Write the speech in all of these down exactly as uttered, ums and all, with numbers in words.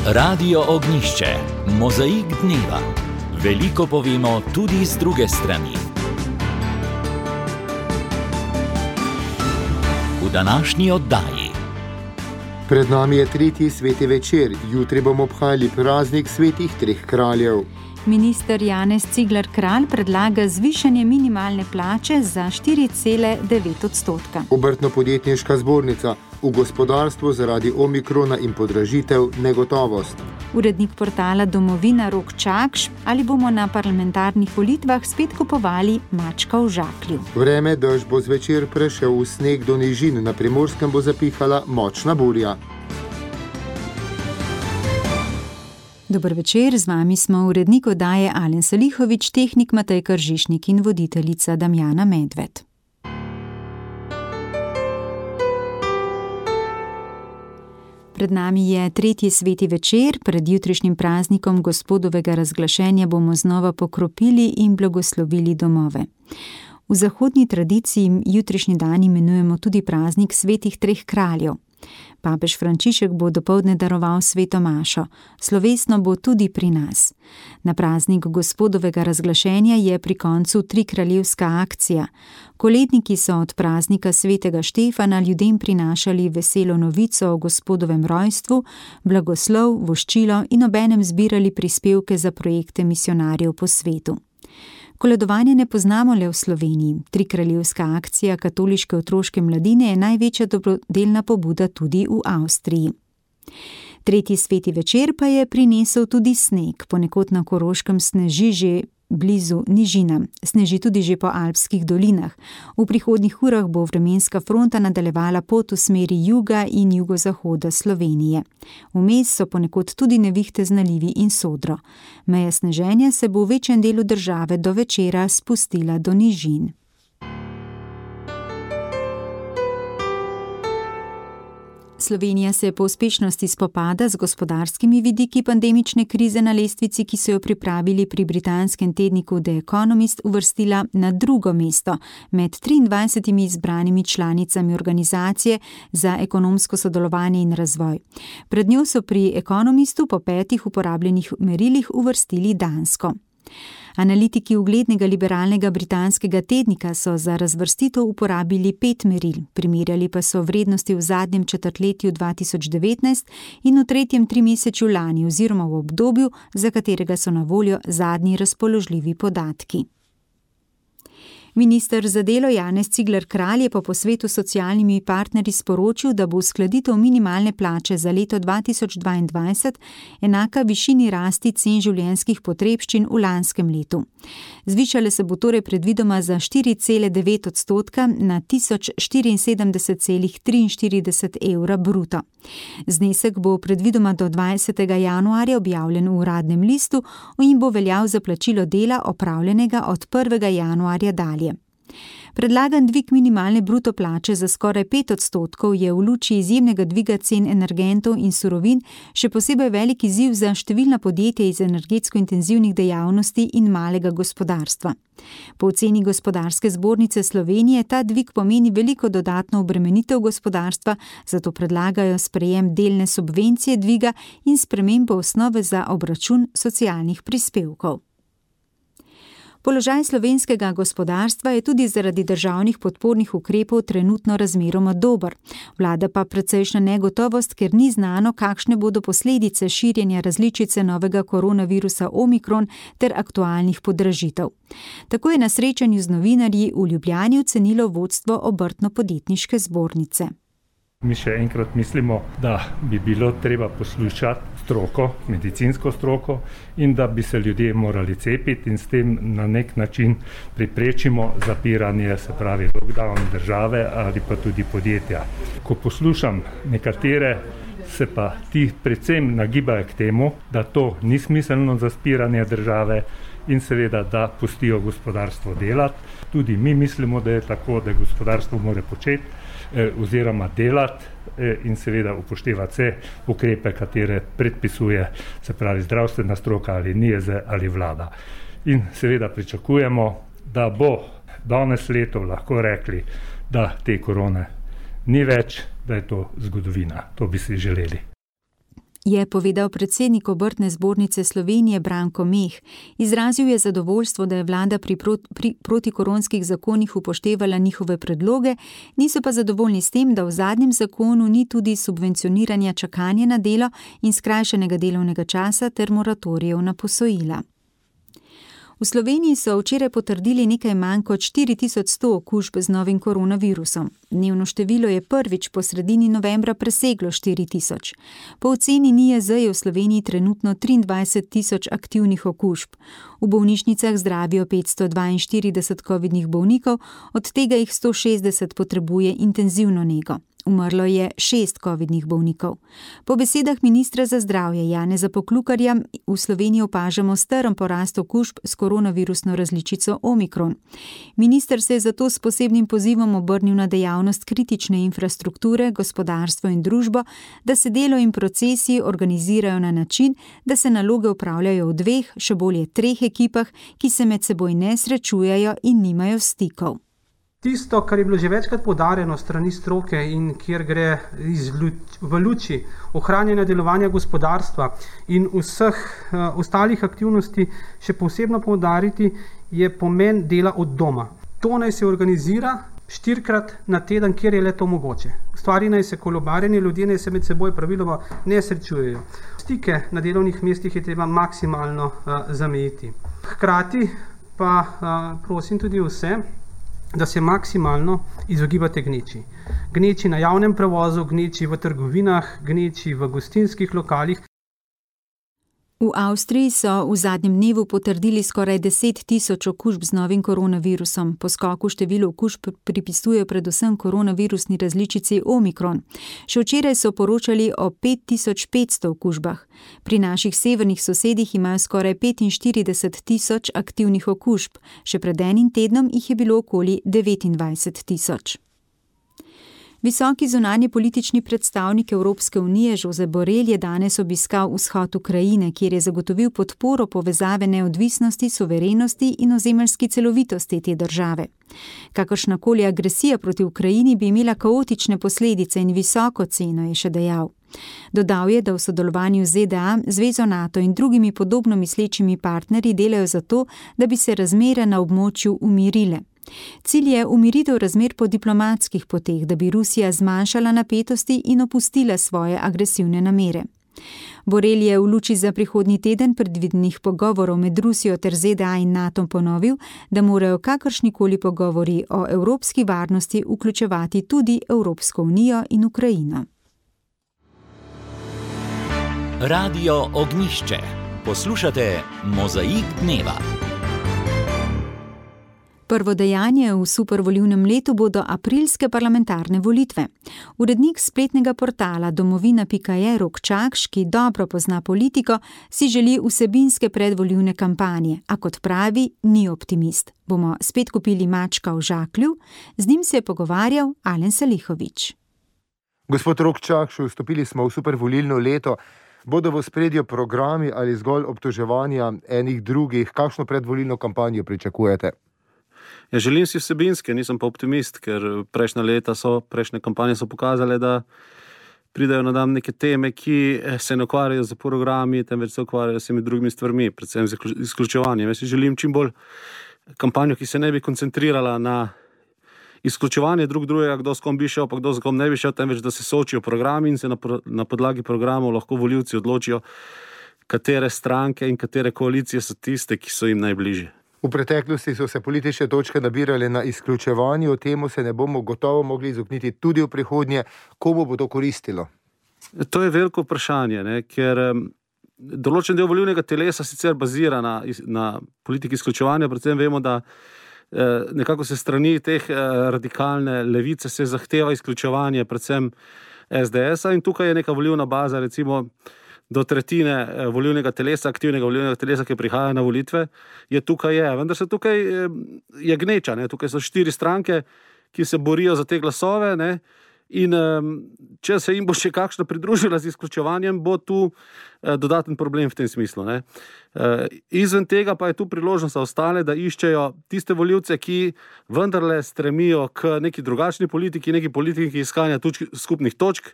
Radio Ognišče, mozaik dneva. Veliko povemo tudi z druge strani. V današnji oddaji. Pred nami je tretji sveti večer, jutri bomo obhajali praznik svetih treh kraljev. Minister Janez Cigler Kralj predlaga zvišanje minimalne plače za štiri cele devet odstotka. Obrtno-podjetniška zbornica, v gospodarstvu zaradi omikrona in podražitev negotovost. Urednik portala Domovina Rok Čakš, ali bomo na parlamentarnih volitvah spet kupovali mačka v žaklju. Vreme, dež bo zvečer prešel v sneg do nižin, na Primorskem bo zapihala močna burja. Dober večer, z vami smo urednik oddaje Alen Salihovič, tehnik Matej Kržišnik in voditeljica Damjana Medved. Pred nami je tretji sveti večer, pred jutrišnjim praznikom gospodovega razglašenja bomo znova pokropili in blagoslovili domove. V zahodni tradiciji jutrišnji dan imenujemo tudi praznik svetih treh kraljev. Papež Frančišek bo dopoldne daroval sveto mašo, slovesno bo tudi pri nas. Na praznik gospodovega razglašenja je pri koncu trikraljevska akcija. Koledniki so od praznika svetega Štefana ljudem prinašali veselo novico o gospodovem rojstvu, blagoslov, voščilo in obenem zbirali prispevke za projekte misijonarjev po svetu. Koledovanje ne poznamo le v Sloveniji. Trikraljevska akcija katoliške otroške mladine je največja dobrodelna pobuda tudi v Avstriji. Tretji sveti večer pa je prinesel tudi sneg, ponekod na Koroškem sneži že blizu nižinam, sneži tudi že po alpskih dolinah. V prihodnjih urah bo vremenska fronta nadaljevala pot v smeri juga in jugozahoda Slovenije. Vmes so ponekod tudi nevihte z nalivi in sodro. Meja sneženja se bo v večjem delu države do večera spustila do nižin. Slovenija se po uspešnosti spopada z gospodarskimi vidiki pandemične krize na lestvici, ki so jo pripravili pri britanskem tedniku The Economist, uvrstila na drugo mesto med triindvajsetimi izbranimi članicami organizacije za ekonomsko sodelovanje in razvoj. Pred njo so pri Economistu po petih uporabljenih merilih uvrstili Dansko. Analitiki uglednega liberalnega britanskega tednika so za razvrstitev uporabili pet meril, primerjali pa so vrednosti v zadnjem četrtletju dva tisoč devetnajst in v tretjem trimesečju lani oziroma v obdobju, za katerega so na voljo zadnji razpoložljivi podatki. Minister za delo Janez Cigler Kralj je po posvetu s socialnimi partnerji sporočil, da bo uskladitev minimalne plače za leto dva tisoč dvaindvajset enaka višini rasti cen življenjskih potrebščin v lanskem letu. Zvišale se bo torej predvidoma za štiri cele devet odstotka na tisoč štiriinsedemdeset cela triinštirideset evra bruto. Znesek bo predvidoma do dvajsetega januarja objavljen v uradnem listu in bo veljal za plačilo dela opravljenega od prvega januarja dalje. Predlagan dvig minimalne bruto plače za skoraj pet odstotkov je v luči izjemnega dviga cen energentov in surovin še posebej velik izziv za številna podjetja iz energetsko intenzivnih dejavnosti in malega gospodarstva. Po oceni Gospodarske zbornice Slovenije ta dvig pomeni veliko dodatno obremenitev gospodarstva, zato predlagajo sprejem delne subvencije dviga in spremembo osnove za obračun socialnih prispevkov. Položaj slovenskega gospodarstva je tudi zaradi državnih podpornih ukrepov trenutno razmeroma dober. Vlada pa precejšnja negotovost, ker ni znano, kakšne bodo posledice širjenja različice novega koronavirusa omikron ter aktualnih podražitev. Tako je na srečanju z novinarji v Ljubljani ocenilo vodstvo Obrtno-podjetniške zbornice. Mi še enkrat mislimo, da bi bilo treba poslušati stroko, medicinsko stroko in da bi se ljudje morali cepiti in s tem na nek način preprečimo zapiranje, se pravi lockdown države ali pa tudi podjetja. Ko poslušam nekatere, se pa ti predvsem nagibajo k temu, da to ni smiselno za zapiranje države in seveda, da pustijo gospodarstvo delati. Tudi mi mislimo, da je tako, da gospodarstvo mora početi oziroma delati in seveda upoštevati vse ukrepe, katere predpisuje, se pravi zdravstvena stroka ali N I E Z ali vlada. In seveda pričakujemo, da bo danes leto lahko rekli, da te korone ni več, da je to zgodovina. To bi si želeli. je povedal predsednik Obrtne zbornice Slovenije Branko Meh. Izrazil je zadovoljstvo, da je vlada pri, prot, pri protikoronskih zakonih upoštevala njihove predloge, niso pa zadovoljni s tem, da v zadnjem zakonu ni tudi subvencioniranja čakanja na delo in skrajšanega delovnega časa ter moratorijev na posojila. V Sloveniji so včeraj potrdili nekaj manj kot štiri tisoč sto okužb z novim koronavirusom. Dnevno število je prvič po sredini novembra preseglo štiri tisoč. Po oceni N I J Z je v Sloveniji trenutno triindvajset tisoč aktivnih okužb. V bolnišnicah zdravijo petsto dvainštirideset covidnih bolnikov, od tega jih sto šestdeset potrebuje intenzivno nego. Umrlo je šest covidnih bolnikov. Po besedah ministra za zdravje Janeza Poklukarja v Sloveniji opažamo strm porast okužb s koronavirusno različico Omikron. Minister se je zato s posebnim pozivom obrnil na dejavnost kritične infrastrukture, gospodarstvo in družbo, da se delo in procesi organizirajo na način, da se naloge upravljajo v dveh, še bolje treh ekipah, ki se med seboj ne srečujejo in nimajo stikov. Tisto, kar je bilo že večkrat poudarjeno strani stroke in kjer gre iz, v luči ohranjanja delovanja gospodarstva in vseh uh, ostalih aktivnosti še posebno poudariti, je pomen dela od doma. To naj se organizira štirikrat na teden, kjer je le to mogoče. Stvari naj se kolobarjeni, ljudje naj se med seboj praviloma ne srečujejo. Stike na delovnih mestih je treba maksimalno uh, zamejiti. Hkrati pa uh, prosim tudi vse, da se maksimalno izogibate gneči. Gneči na javnem prevozu, gneči v trgovinah, gneči v gostinskih lokalih. V Avstriji so v zadnjem dnevu potrdili skoraj deset tisoč okužb z novim koronavirusom. Po skoku število okužb pripisujejo predvsem koronavirusni različici Omikron. Še včeraj so poročali o pet tisoč petsto okužbah. Pri naših severnih sosedih imajo skoraj petinštirideset tisoč aktivnih okužb. Še pred enim tednom jih je bilo okoli devetindvajset tisoč. Visoki zunanji politični predstavnik Evropske unije Josep Borrell je danes obiskal vzhod Ukrajine, kjer je zagotovil podporo povezave neodvisnosti, suverenosti in ozemeljski celovitosti te države. Kakršnakoli agresija proti Ukrajini bi imela kaotične posledice in visoko ceno, je še dejal. Dodal je, da v sodelovanju z Z D A, Zvezo NATO in drugimi podobno mislečimi partnerji delajo za to, da bi se razmere na območju umirile. Cilj je umiritev razmer po diplomatskih poteh, da bi Rusija zmanjšala napetosti in opustila svoje agresivne namere. Borrell je v luči za prihodnji teden predvidenih pogovorov med Rusijo ter Z D A in NATO ponovil, da morajo kakršnikoli pogovori o evropski varnosti vključevati tudi Evropsko unijo in Ukrajino. Radio Ognjišče. Poslušate Mozaik dneva. Prvo dejanje v supervolilnem letu bodo aprilske parlamentarne volitve. Urednik spletnega portala domovina pika je Rok Čakš, ki dobro pozna politiko, si želi vsebinske predvolilne kampanje, a kot pravi, ni optimist. Bomo spet kupili mačka v žaklju? Z njim se je pogovarjal Alen Salihović. Gospod Rok Čakš, vstopili smo v supervolilno leto. Bodo v ospredju programi ali zgolj obtoževanja enih drugih? Kakšno predvolilno kampanjo pričakujete? Ja, želim si vsebinske, nisem pa optimist, ker prejšnja leta so, prejšnje kampanje so pokazale, da pridajo na dan neke teme, ki se ne ukvarjajo z programi, temveč se ukvarjajo s temi drugimi stvarmi, predvsem z izključevanjem. Jaz si želim čim bolj kampanjo, ki se ne bi koncentrirala na izključevanje drug drugega, kdo s kom bi šel, pa kdo s kom ne bi šel, temveč da se soočijo programi in se na, na podlagi programov lahko volivci odločijo, katere stranke in katere koalicije so tiste, ki so jim najbližje. V preteklosti so se politične točke nabirale na izključevanju, temu se ne bomo gotovo mogli izogniti tudi v prihodnje. Komu bo to koristilo? To je veliko vprašanje, ne? Ker um, določen del volilnega telesa sicer bazira na, na politiki izključevanja, predvsem vemo, da eh, nekako se strani teh eh, radikalne levice se zahteva izključevanje predvsem S D S-a in tukaj je neka volilna baza, recimo do tretjine volilnega telesa, aktivnega volilnega telesa, ki prihaja na volitve, je tukaj je. Vendar se tukaj je gneča, ne? Tukaj so štiri stranke, ki se borijo za te glasove, ne? In če se jim bo še kakšna pridružila z izključevanjem, bo tu dodaten problem v tem smislu, ne? Izven tega pa je tu priložnost za ostale, da iščejo tiste volivce, ki vendarle stremijo k neki drugačni politiki, neki politiki iskanja skupnih točk,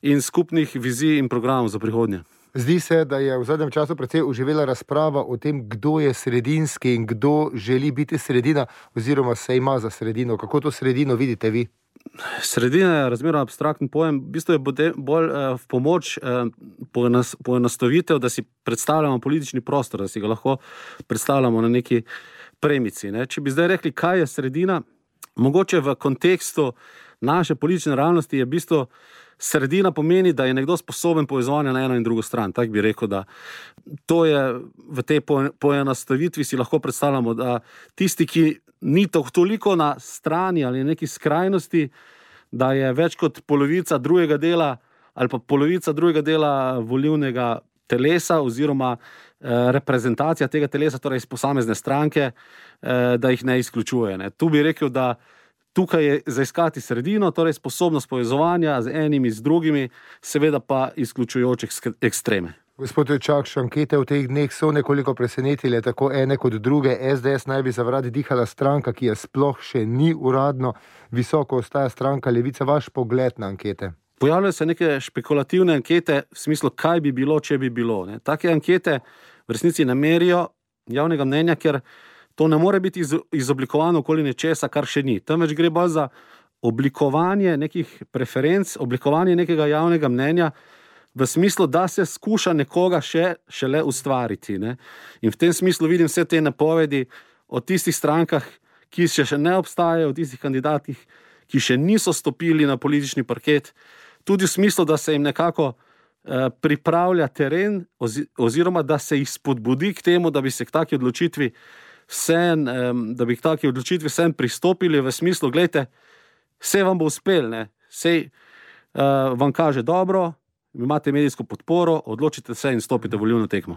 in skupnih vizij in programov za prihodnje. Zdi se, da je v zadnjem času precej oživela razprava o tem, kdo je sredinski in kdo želi biti sredina oziroma se ima za sredino. Kako to sredino vidite vi? Sredina je razmerno abstraktni pojem. V bistvu je bolj eh, v pomoč eh, poenostavitev, da si predstavljamo politični prostor, da si ga lahko predstavljamo na neki premici. Ne? Če bi zdaj rekli, kaj je sredina, mogoče v kontekstu naše politične realnosti je v bistvu sredina pomeni, da je nekdo sposoben povezovanja na eno in drugo stran. Tak bi rekel, da to je v tej poenostavitvi si lahko predstavljamo, da tisti, ki ni toliko na strani ali neki skrajnosti, da je več kot polovica drugega dela ali pa polovica drugega dela volilnega telesa oziroma eh, reprezentacija tega telesa, torej iz posamezne stranke, eh, da jih ne izključuje. Ne. Tu bi rekel, da tukaj je zaiskati sredino, torej sposobnost povezovanja z enimi, z drugimi, seveda pa izključujočih ekstreme. Gospod Čakš, ankete v teh dneh so nekoliko presenetile, tako ene kot druge. es de es naj bi za vrati dihala stranka, ki je sploh še ni uradno. Visoko ostaja stranka Levica. Vaš pogled na ankete? Pojavljajo se neke špekulativne ankete v smislu, kaj bi bilo, če bi bilo. Ne. Take ankete v resnici ne merijo javnega mnenja, ker to ne more biti izoblikovano okoli nečesa, kar še ni. Temveč gre bolj za oblikovanje nekih preferenc, oblikovanje nekega javnega mnenja v smislu, da se skuša nekoga še šele ustvariti. Ne? In v tem smislu vidim vse te napovedi o tistih strankah, ki še, še ne obstajajo, o tistih kandidatih, ki še niso stopili na politični parket, tudi v smislu, da se jim nekako eh, pripravlja teren ozi, oziroma da se jih spodbudi k temu, da bi se k taki odločitvi Sen, da bi k taki odločitvi sem pristopili v smislu, gledajte, vse vam bo uspel, ne? Sej uh, vam kaže dobro, imate medijsko podporo, odločite se in stopite v volilno tekmo.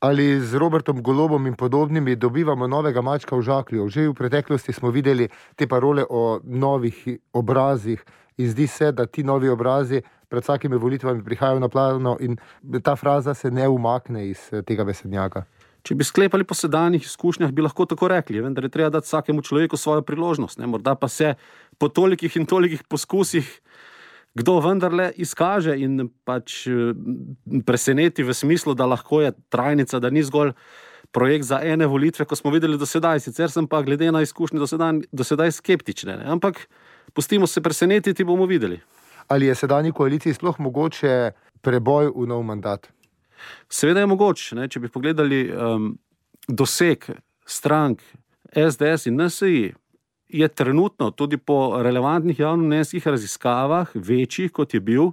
Ali z Robertom Golobom in podobnimi dobivamo novega mačka v žaklju? Že v preteklosti smo videli te parole o novih obrazih in zdi se, da ti novi obrazi pred vsakimi volitvami prihajajo na plano in ta fraza se ne umakne iz tega besednjaka. Če bi sklepali po sedanjih izkušnjah, bi lahko tako rekli, vendar je treba dati vsakemu človeku svojo priložnost. Ne? Morda pa se po tolikih in tolikih poskusih kdo vendarle izkaže in pač preseneti v smislu, da lahko je trajnica, da ni zgolj projekt za ene volitve, ko smo videli do sedaj. Sicer sem pa glede na izkušnje do sedaj, do sedaj skeptične. Ne? Ampak pustimo se presenetiti, bomo videli. Ali je sedanji koaliciji sploh mogoče preboj v nov mandat? Seveda je mogoče, ne? Če bi pogledali um, doseg strank es de es in en se i, je trenutno tudi po relevantnih javnomnenjskih raziskavah večji, kot je bil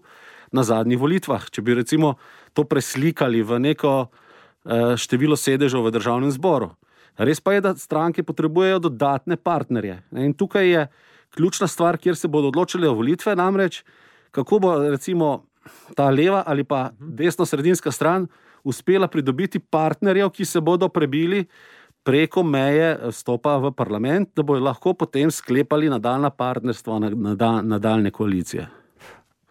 na zadnjih volitvah. Če bi recimo to preslikali v neko uh, število sedežev v državnem zboru. Res pa je, da stranke potrebujejo dodatne partnerje. Ne? In tukaj je ključna stvar, kjer se bodo odločili o volitve, namreč kako bo recimo ta leva ali pa desno-sredinska stran uspela pridobiti partnerjev, ki se bodo prebili preko meje vstopa v parlament, da bodo lahko potem sklepali nadaljna partnerstva, nadaljne koalicije.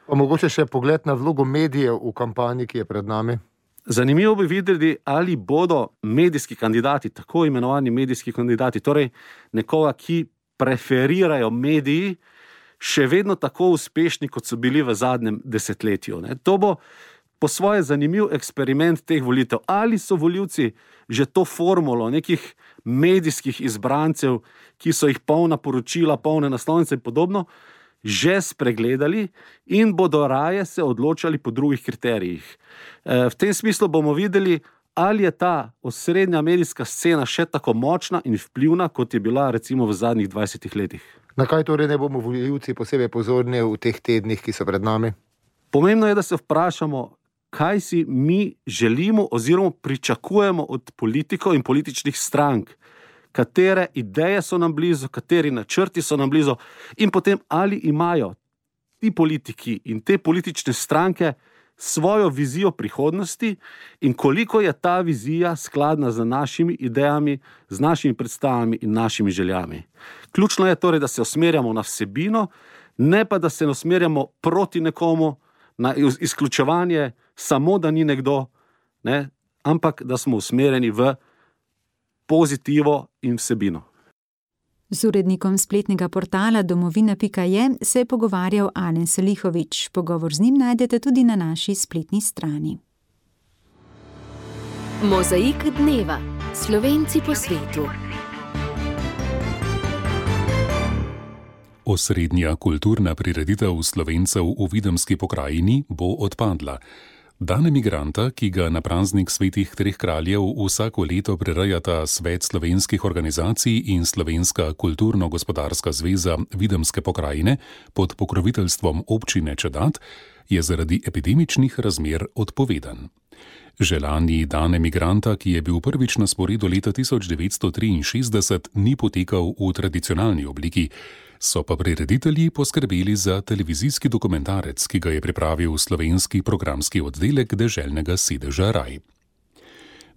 Pa mogoče še pogled na vlogo medijev v kampanji, ki je pred nami? Zanimivo bi videli, ali bodo medijski kandidati, tako imenovani medijski kandidati, torej nekoga, ki preferirajo mediji, še vedno tako uspešni, kot so bili v zadnjem desetletju. Ne. To bo po svoje zanimiv eksperiment teh volitev. Ali so volivci že to formulo nekih medijskih izbrancev, ki so jih polna poročila, polne naslovnice in podobno, že spregledali in bodo raje se odločali po drugih kriterijih. V tem smislu bomo videli, ali je ta osrednja medijska scena še tako močna in vplivna, kot je bila recimo v zadnjih dvajsetih letih. Na kaj torej ne bomo volivci posebej pozorni v teh tednih, ki so pred nami? Pomembno je, da se vprašamo, kaj si mi želimo oziroma pričakujemo od politikov in političnih strank, katere ideje so nam blizu, kateri načrti so nam blizu in potem ali imajo ti politiki in te politične stranke svojo vizijo prihodnosti in koliko je ta vizija skladna z našimi idejami, z našimi predstavami in našimi željami. Ključno je torej, da se usmerjamo na vsebino, ne pa da se usmerjamo proti nekomu, na izključevanje, samo da ni nekdo, ne, ampak da smo usmerjeni v pozitivo in vsebino. Z urednikom spletnega portala domovina pika je se je pogovarjal Alen Selihović. Pogovor z njim najdete tudi na naši spletni strani. Mozaik dneva. Slovenci po svetu. Osrednja kulturna prireditev Slovencev v Videmski pokrajini bo odpadla. Dan emigranta, ki ga na praznik svetih treh kraljev vsako leto prirejata Svet slovenskih organizacij in Slovenska kulturno-gospodarska zveza Videmske pokrajine pod pokroviteljstvom občine Čedat, je zaradi epidemičnih razmer odpovedan. Želani dan emigranta, ki je bil prvič na sporedu leta tisoč devetsto triinšestdeset, ni potekal v tradicionalni obliki, so pa prireditelji poskrbeli za televizijski dokumentarec, ki ga je pripravil slovenski programski oddelek deželnega sedeža Raj.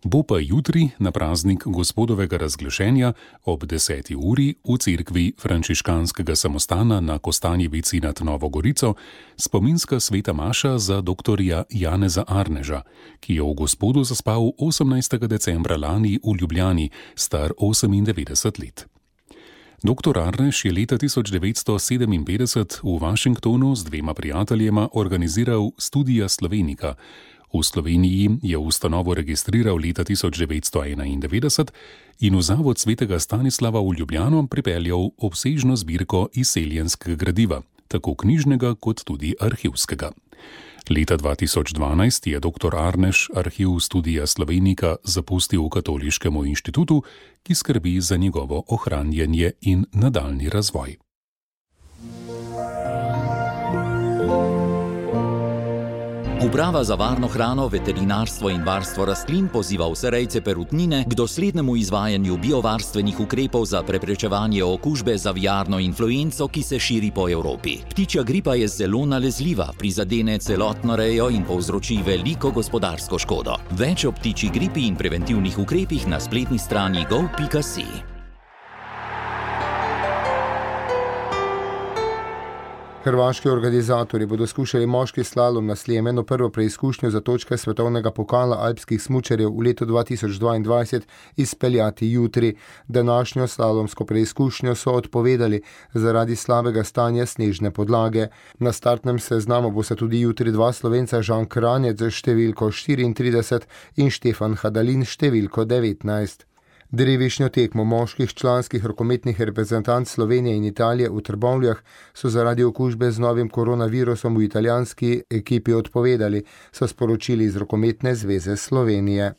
Bo pa jutri, na praznik gospodovega razglašenja, ob deseti uri v cerkvi frančiškanskega samostana na Kostanjevici nad Novo Gorico, spominska sveta maša za doktorja Janeza Arneža, ki je v gospodu zaspal osemnajstega decembra lani v Ljubljani, star osemindevetdeset let. Doktor Arnež je leta tisoč devetsto sedeminpetdeset v Washingtonu z dvema prijateljema organiziral Studia Slovenica. V Sloveniji je ustanovo registriral leta tisoč devetsto enaindevetdeset in v Zavod svetega Stanislava v Ljubljano pripeljal obsežno zbirko izseljenskega gradiva, tako knjižnega kot tudi arhivskega. Leta dva tisoč dvanajst je doktor Arnež arhiv Studia Slovenica zapustil Katoliškemu inštitutu, ki skrbi za njegovo ohranjanje in nadaljnji razvoj. Uprava za varno hrano, veterinarstvo in varstvo rastlin poziva vse rejce perutnine k doslednemu izvajanju biovarstvenih ukrepov za preprečevanje okužbe z aviarno influenco, ki se širi po Evropi. Ptičja gripa je zelo nalezljiva, prizadene celotno rejo in povzroči veliko gospodarsko škodo. Več o ptičji gripi in preventivnih ukrepih na spletni strani gov pika si. Hrvaški organizatorji bodo skušali moški slalom na Sljemenu, prvo preizkušnjo za točke svetovnega pokala alpskih smučarjev v letu dva tisoč dvaindvajset, izpeljati jutri. Današnjo slalomsko preizkušnjo so odpovedali zaradi slabega stanja snežne podlage. Na startnem seznamu bo se tudi jutri dva Slovenca, Žan Kranjec z številko štiriintrideset in Štefan Hadalin številko devetnajst. Drevišnjo tekmo moških članskih rokometnih reprezentanc Slovenije in Italije v Trbovljah so zaradi okužbe z novim koronavirusom v italijanski ekipi odpovedali, so sporočili iz Rokometne zveze Slovenije.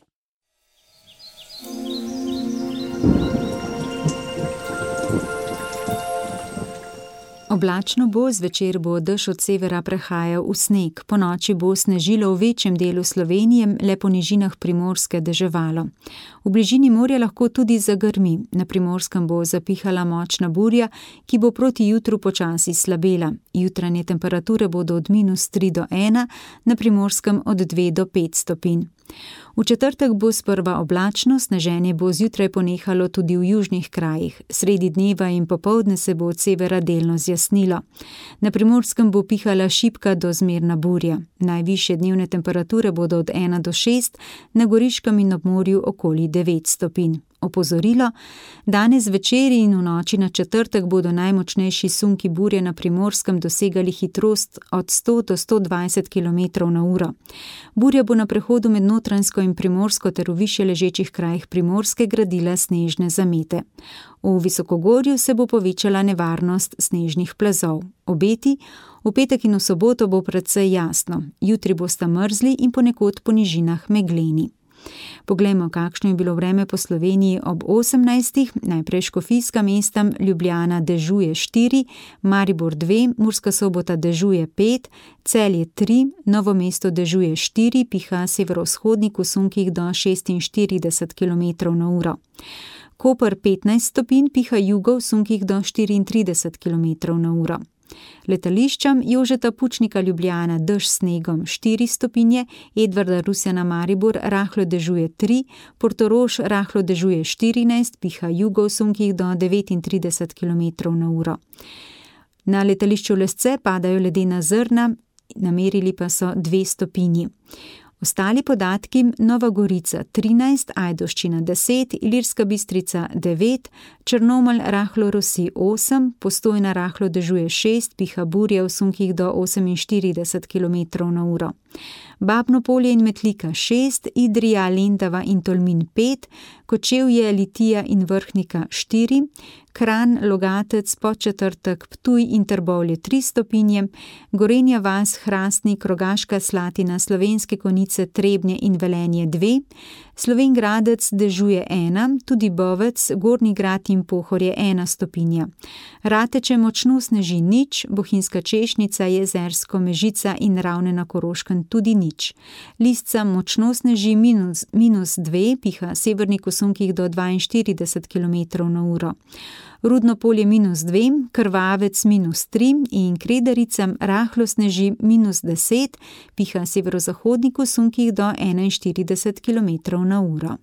Oblačno bo, zvečer bo dež od severa prehajal v sneg. Po noči bo snežilo v večjem delu Slovenije, le po nižinah Primorske deževalo. V bližini morja lahko tudi zagrmi. Na Primorskem bo zapihala močna burja, ki bo proti jutru počasi slabela. Jutranje temperature bodo od minus tri do ena, na Primorskem od dve do pet stopinj. V četrtek bo sprva oblačno, sneženje bo zjutraj ponehalo tudi v južnih krajih. Sredi dneva in popoldne se bo od severa delno zjasnilo. Na Primorskem bo pihala šibka do zmerna burja. Najvišje dnevne temperature bodo od ena do šest, na Goriškem in ob morju okoli devet stopinj. Opozorilo, danes večer in v noči na četrtek bodo najmočnejši sunki burje na Primorskem dosegali hitrost od sto do sto dvajset kilometrov na uro. Burja bo na prehodu med Notranjsko in Primorsko ter v višje ležečih krajih Primorske gradila snežne zamete. V visokogorju se bo povečala nevarnost snežnih plazov. Obeti, v petek in v soboto bo precej jasno. Jutri bosta mrzli in ponekod po nižinah megleni. Poglejmo, kakšno je bilo vreme po Sloveniji ob osemnajstih. Najprej škofijska mesta, Ljubljana dežuje štiri, Maribor dve, Murska Sobota dežuje pet, Celje tri, Novo mesto dežuje štiri, piha severovzhodnik v sunkih do šestinštirideset kilometrov na uro. Koper petnajst stopinj, piha jugo v sunkih do štiriintrideset kilometrov na uro. Letališčem Jožeta Pučnika Ljubljana dež s snegom štiri stopinje, Edvarda Rusjana Maribor rahlo dežuje tri, Portorož rahlo dežuje štirinajst, piha jugo v sunkih do devetintrideset kilometrov na uro. Na letališču Lesce padajo ledena zrna, namerili pa so dve stopinji. Ostali podatki: Nova Gorica trinajst, Ajdovščina deset, Ilirska Bistrica devet, Črnomelj rahlo rosi osem, Postojna rahlo dežuje šest, piha burja v sunkih do oseminštirideset kilometrov na uro. Babno Polje in Metlika šest, Idrija, Lendava in Tolmin pet, Kočevje, Litija in Vrhnika štiri, Kranj, Logatec, Podčetrtek, Ptuj in Trbovlje tri stopinje, Gorenja vas, Hrastnik, Rogaška Slatina, Slovenske Konjice, Trebnje in Velenje dve, Slovenj Gradec dežuje ena, tudi Bovec, Gornji Grad in Pohorje ena stopinja. Rateče močno sneži nič, Bohinjska Češnica, Jezersko, Mežica in Ravne na Koroškem tudi nič. Lisca močno sneži minus, minus dve, piha severnik v sunkih do dvainštirideset kilometrov na uro. Rudno Polje minus dve, Krvavec minus tri in Kredericam rahlo sneži minus deset, piha severozahodnik v sunkih do enainštirideset kilometrov na uro.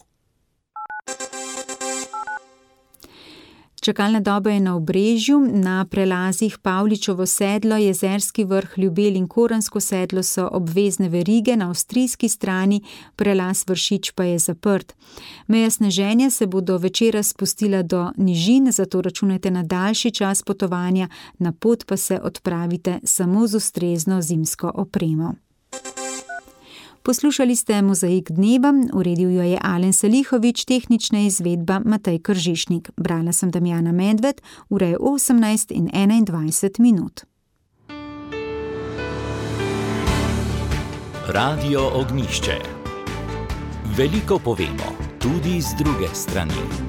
Čakalna doba je na Obrežju, na prelazih Pavličevo sedlo, Jezerski vrh, Ljubelj in Koransko sedlo so obvezne verige, na avstrijski strani prelaz Vršič pa je zaprt. Meja sneženja se bo do večera spustila do nižin, zato računajte na daljši čas potovanja, na pot pa se odpravite samo z ustrezno zimsko opremo. Poslušali ste Mozaik dneva, uredil jo je Alen Salihovič, tehnična izvedba Matej Kržišnik. Brala sem Damjana Medved, ura je osemnajst in enaindvajset minut. Radio Ognjišče. Veliko povemo, tudi z druge strani.